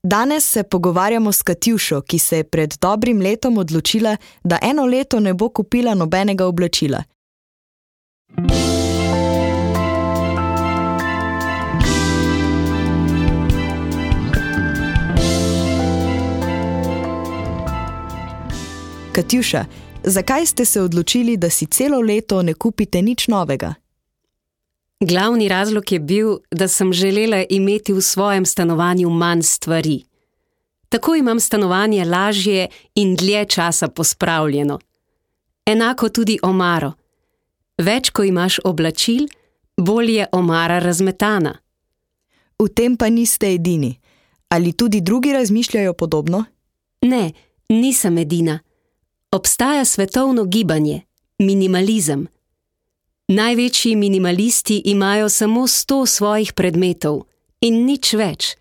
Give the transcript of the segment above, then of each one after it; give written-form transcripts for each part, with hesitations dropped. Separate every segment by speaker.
Speaker 1: Danes se pogovarjamo s Katjušo, ki se je pred dobrim letom odločila, da eno leto ne bo kupila nobenega oblačila. Katjuša, zakaj ste se odločili, da si celo leto ne kupite nič novega?
Speaker 2: Glavni razlog je bil, da sem želela imeti v svojem stanovanju manj stvari. Tako imam stanovanje lažje in dlje časa pospravljeno. Enako tudi omaro. Več, ko imaš oblačil, bolj je omara razmetana.
Speaker 1: V tem pa niste edini. Ali tudi drugi razmišljajo podobno?
Speaker 2: Ne, nisem edina. Obstaja svetovno gibanje, minimalizem. Največji minimalisti imajo samo 100 svojih predmetov in nič več.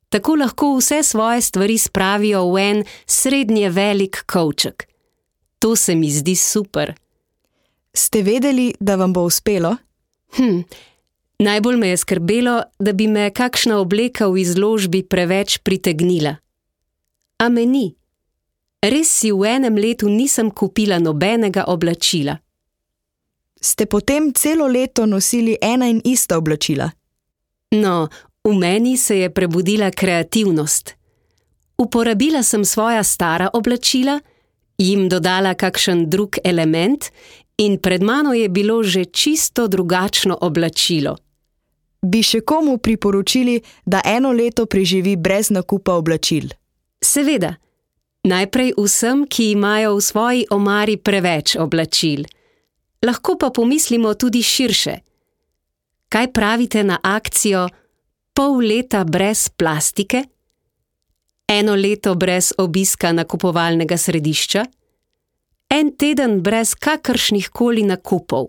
Speaker 2: Tako lahko vse svoje stvari spravijo v en srednje velik kovček. To se mi zdi super.
Speaker 1: Ste vedeli, da vam bo uspelo?
Speaker 2: Najbolj me je skrbelo, da bi me kakšna obleka v izložbi preveč pritegnila. A me ni. Res si v enem letu nisem kupila nobenega oblačila.
Speaker 1: Ste potem celo leto nosili ena in ista oblačila?
Speaker 2: No, v meni se je prebudila kreativnost. Uporabila sem svoja stara oblačila, jim dodala kakšen drug element in pred mano je bilo že čisto drugačno oblačilo.
Speaker 1: Bi še komu priporočili, da eno leto preživi brez nakupa oblačil?
Speaker 2: Seveda. Najprej vsem, ki imajo v svoji omari preveč oblačil. Lahko pa pomislimo tudi širše. Kaj pravite na akcijo pol leta brez plastike? Eno leto brez obiska nakupovalnega središča? En teden brez kakršnih koli nakupov?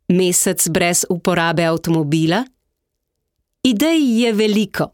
Speaker 2: Mesec brez uporabe avtomobila? Idej je veliko.